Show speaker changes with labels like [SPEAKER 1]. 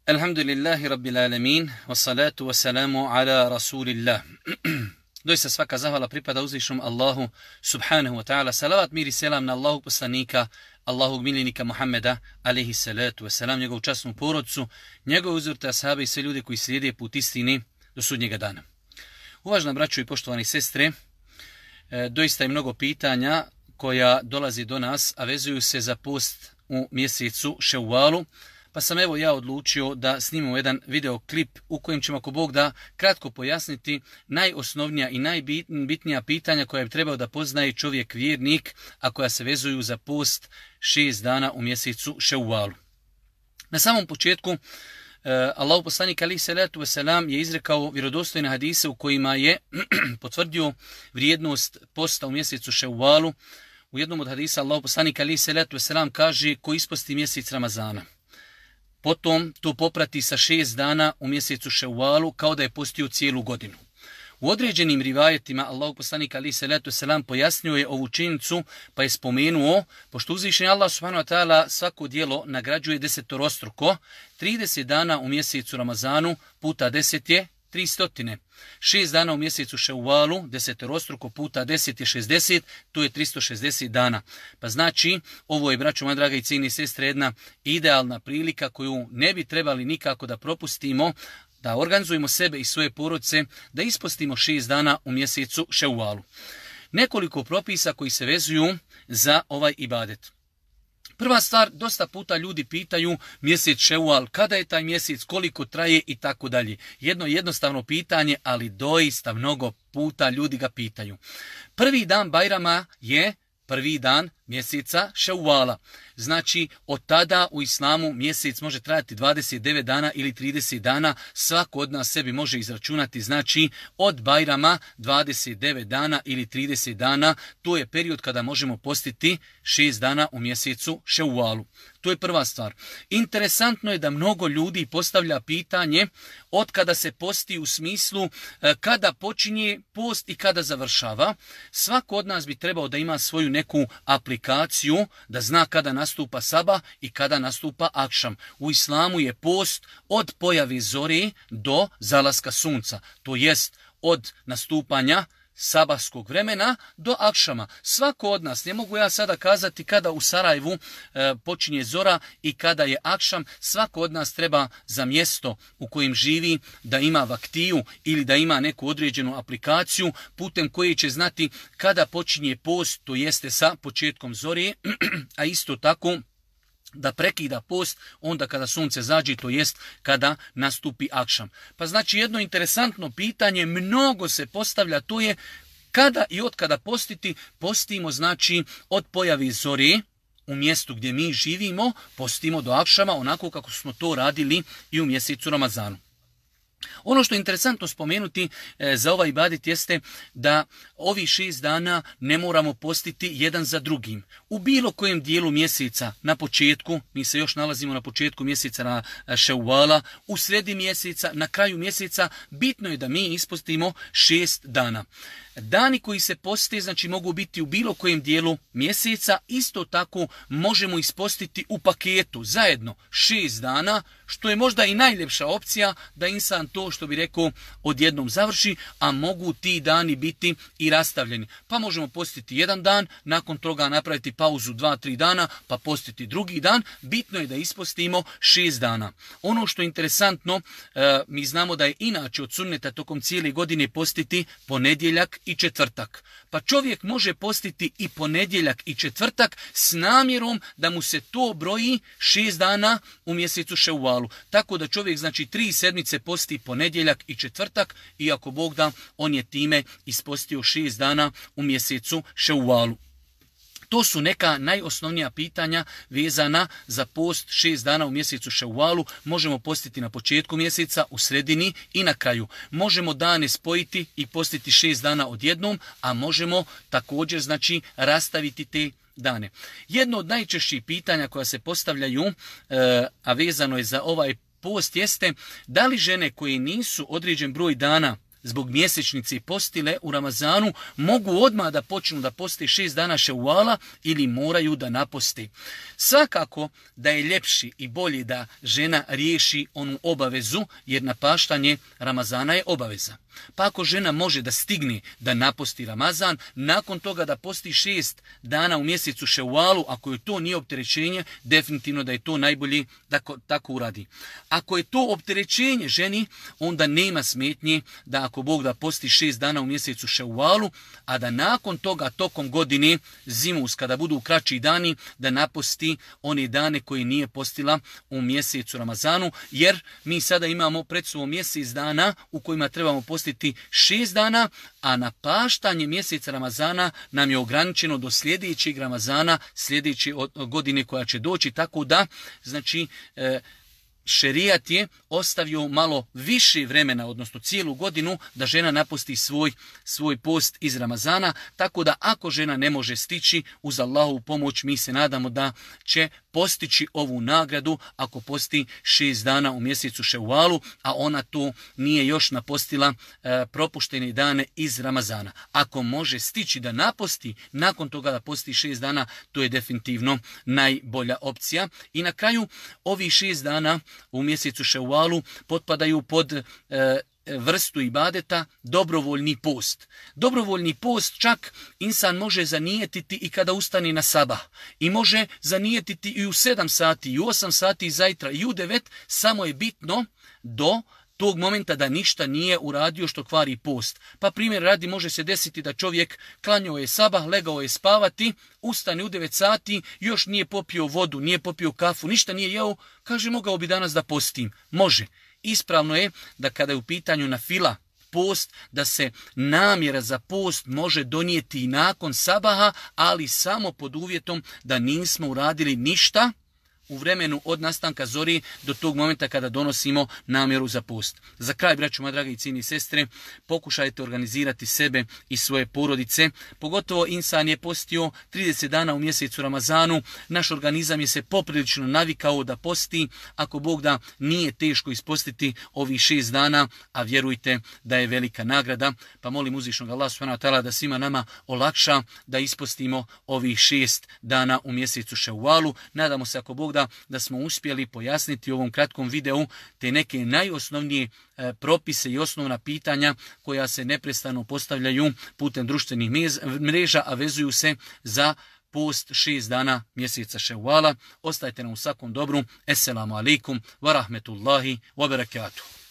[SPEAKER 1] Alhamdulillahi rabbil alamin, wassalatu wassalamu ala rasulillah. Doista svaka zahvala pripada uzvišnom Allahu subhanahu wa ta'ala. Salavat, mir i selam na Allahog poslanika, Allahog miljenika Muhammeda, alaihi salatu wassalam, njegovu časnu porodcu, njegove uzvrte ashabe i sve ljude koji slijede put istini do sudnjega dana. Uvažena braćo i poštovani sestre, doista je mnogo pitanja koja dolazi do nas, a vezuju se za post u mjesecu Ševvalu. Pa sam evo ja odlučio da snimimo jedan videoklip u kojem ćemo, ako Bog da, kratko pojasniti najosnovnija i najbitnija pitanja koja bi trebao da poznaje čovjek vjernik, a koja se vezuju za post 6 dana u mjesecu Ševvalu. Na samom početku, Allahu poslanik alejhi selatu vesselam je izrekao vjerodostojne hadise u kojima je potvrdio vrijednost posta u mjesecu Ševvalu. U jednom od hadisa Allahu poslanik alejhi selatu vesselam kaže: ko isposti mjesec Ramazana, potom to poprati sa 6 dana u mjesecu Ševvalu kao da je postio cijelu godinu. U određenim rivajetima Allahov poslanik alejhi selatu vesselam pojasnio je ovu činjenicu, pa je spomenuo, pošto uzvišeni Allah subhanahu wa ta'ala svako djelo nagrađuje desetorostruko, 30 dana u mjesecu Ramazanu puta 10 je 300. 6 dana u mjesecu Ševvalu, desetorostruko puta 10 je 60, to je 360 dana. Pa znači, ovo je, braćo moja draga i cijenjeni sestre, jedna idealna prilika koju ne bi trebali nikako da propustimo, da organizujemo sebe i svoje porodice, da ispostimo 6 dana u mjesecu Ševvalu. Nekoliko propisa koji se vezuju za ovaj ibadet. Prva stvar, dosta puta ljudi pitaju mjesec Ševval, kada je taj mjesec, koliko traje i tako dalje. Jedno jednostavno pitanje, ali doista mnogo puta ljudi ga pitaju. Prvi dan Bajrama je prvi dan mjeseca Ševvala. Znači, od tada u islamu mjesec može trajati 29 dana ili 30 dana. Svako od nas sebi može izračunati, znači, od Bajrama 29 dana ili 30 dana. To je period kada možemo postiti 6 dana u mjesecu Ševvalu. To je prva stvar. Interesantno je da mnogo ljudi postavlja pitanje od kada se posti, u smislu kada počinje post i kada završava. Svako od nas bi trebao da ima svoju neku aplikaciju, da zna kada nastupa sabah i kada nastupa akšam. U islamu je post od pojave zore do zalaska sunca. To jest od nastupanja sabahskog vremena do akšama. Svako od nas, ne mogu ja sada kazati kada u Sarajevu počinje zora i kada je akšam, svako od nas treba za mjesto u kojem živi da ima vaktiju ili da ima neku određenu aplikaciju putem koje će znati kada počinje post, to jeste sa početkom zore, a isto tako da prekida post onda kada sunce zađe, to jest kada nastupi akšam. Pa znači jedno interesantno pitanje, mnogo se postavlja, to je kada i od kada postiti. Postimo znači od pojave zore u mjestu gdje mi živimo, postimo do akšama onako kako smo to radili i u mjesecu Ramazanu. Ono što je interesantno spomenuti za ovaj ibadet jeste da ovi 6 dana ne moramo postiti jedan za drugim. U bilo kojem dijelu mjeseca na početku, mi se još nalazimo na početku mjeseca na Ševvala, u sredi mjeseca, na kraju mjeseca, bitno je da mi ispostimo 6 dana. Dani koji se poste, znači, mogu biti u bilo kojem dijelu mjeseca, isto tako možemo ispostiti u paketu zajedno 6 dana, što je možda i najljepša opcija da insan to, što bi rekao, odjednom završi, a mogu ti dani biti i rastavljeni. Pa možemo postiti jedan dan, nakon toga napraviti pauzu 2-3 dana, pa postiti drugi dan. Bitno je da ispostimo 6 dana. Ono što je interesantno, mi znamo da je inače od sunneta tokom cijele godine postiti ponedjeljak i četvrtak. Pa čovjek može postiti i ponedjeljak i četvrtak s namjerom da mu se to broji 6 dana u mjesecu Ševvalu. Tako da čovjek, znači, 3 sedmice posti ponedjeljak i četvrtak, i ako Bog da, on je time ispostio 6 dana u mjesecu Ševvalu. To su neka najosnovnija pitanja vezana za post 6 dana u mjesecu Ševvalu. Možemo postiti na početku mjeseca, u sredini i na kraju. Možemo dane spojiti i postiti 6 dana odjednom, a možemo također, znači, rastaviti te dane. Jedno od najčešćih pitanja koja se postavljaju, a vezano je za ovaj post, jeste da li žene koje nisu određen broj dana zbog mjesečnice postile u Ramazanu, mogu odmah da počnu da poste 6 dana Ševala ili moraju da naposte. Svakako da je ljepši i bolje da žena riješi onu obavezu, jer napaštanje Ramazana je obaveza. Pa ako žena može da stigne da naposti Ramazan, nakon toga da posti 6 dana u mjesecu Ševalu, ako je to nije opterećenje, definitivno da je to najbolje da tako uradi. Ako je to opterećenje ženi, onda nema smetnje da ako Bog da posti 6 dana u mjesecu Ševalu, a da nakon toga tokom godine zimus, kada budu kraći dani, da naposti one dane koje nije postila u mjesecu Ramazanu, jer mi sada imamo pred sobom mjesec dana u kojima trebamo postiti 6 dana, a napaštanje mjeseca Ramazana nam je ograničeno do sljedećeg Ramazana, sljedeće godine koja će doći, tako da, znači, šerijat je ostavio malo više vremena, odnosno cijelu godinu, da žena naposti svoj post iz Ramazana, tako da ako žena ne može stići, uz Allahovu pomoć mi se nadamo da će postići ovu nagradu ako posti 6 dana u mjesecu Ševalu, a ona to nije još napostila propuštene dane iz Ramazana. Ako može stići da naposti, nakon toga da posti 6 dana, to je definitivno najbolja opcija. I na kraju, ovih 6 dana u mjesecu Ševalu potpadaju pod vrstu ibadeta dobrovoljni post. Dobrovoljni post čak insan može zanijetiti i kada ustane na sabah. I može zanijetiti i u 7 sati, i u 8 sati zajtra, i u 9, samo je bitno do tog momenta da ništa nije uradio što kvari post. Pa primjer radi, može se desiti da čovjek klanjao je sabah, legao je spavati, ustane u 9 sati, još nije popio vodu, nije popio kafu, ništa nije jeo, kaže mogao bi danas da postim. Može. Ispravno je da kada je u pitanju nafila post, da se namjera za post može donijeti i nakon sabaha, ali samo pod uvjetom da nismo uradili ništa u vremenu od nastanka zori do tog momenta kada donosimo namjeru za post. Za kraj, braćo moje drage i cijene sestre, pokušajte organizirati sebe i svoje porodice. Pogotovo insan je postio 30 dana u mjesecu Ramazanu. Naš organizam je se poprilično navikao da posti. Ako Bog da, nije teško ispostiti ovih 6 dana, a vjerujte da je velika nagrada. Pa molim uzvišnog Allah subhanahu wa ta'ala da svima nama olakša da ispostimo ovih 6 dana u mjesecu Ševalu. Nadamo se, ako Bog da smo uspjeli pojasniti u ovom kratkom videu te neke najosnovnije propise i osnovna pitanja koja se neprestano postavljaju putem društvenih mreža, a vezuju se za post 6 dana mjeseca Ševala. Ostajte nam u svakom dobru. Esselamu alaikum wa rahmetullahi wa barakatuh.